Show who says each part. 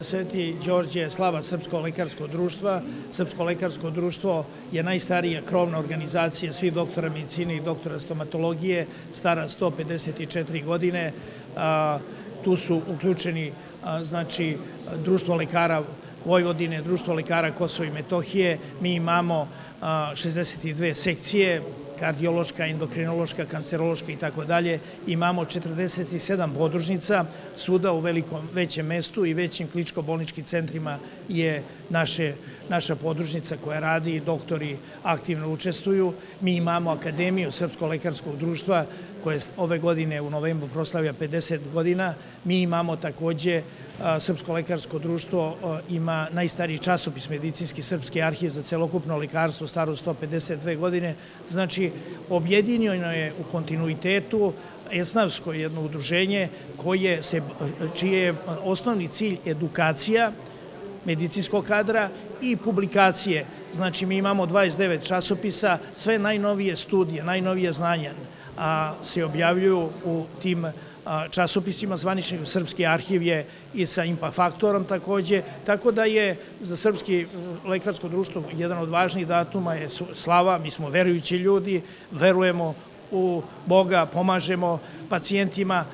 Speaker 1: Sveti Đorđe je slava Srpsko lekarsko društva. Srpsko lekarsko društvo je najstarija krovna organizacija svih doktora medicine i doktora stomatologije, stara 154 godine. Tu su uključeni Društvo lekara Vojvodine, Društvo lekara Kosova i Metohije. Mi imamo 62 sekcije, kardiološka, endokrinološka, kancerološka i tako dalje. Imamo 47 podružnica, svuda u većem mestu i većim kliničko-bolničkim centrima je naša podružnica koja radi i doktori aktivno učestvuju. Mi imamo Akademiju Srpskog lekarskog društva koja ove godine u novembru proslavlja 50 godina. Mi imamo takođe Srpsko lekarsko društvo ima najstariji časopis medicinski Srpski arhiv za celokupno lekarstvo staro 152 godine. Znači, objedinjeno je u kontinuitetu esnavsko jedno udruženje čiji je osnovni cilj edukacija medicinskog kadra i publikacije. Znači, mi imamo 29 časopisa, sve najnovije studije, najnovije znanja se objavljuju u tim časopisima. Zvanični Srpski arhiv je i sa Impact faktorom takođe, tako da je za Srpski lekarsko društvo jedan od važnijih datuma je slava. Mi smo verujući ljudi, verujemo u Boga, pomažemo pacijentima